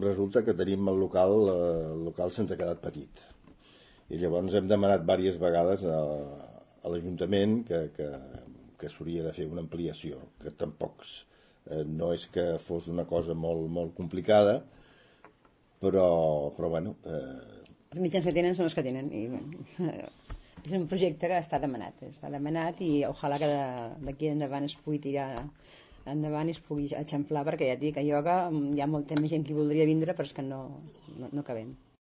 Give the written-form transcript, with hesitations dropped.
resulta que tenim el local se'ns ha quedat petit. I llavors hem demanat diverses vegades a l'Ajuntament que s'hauria de fer una ampliació, que tampoc no és que fos una cosa molt, molt complicada, però bueno... Els mitjans que tenen són els que tenen. I, és un projecte que està demanat i ojalà que d'aquí endavant es pugui tirar endavant i es pugui eixamplar, perquè ja et dic, a ioga hi ha molta més gent que voldria vindre, però és que no cabem.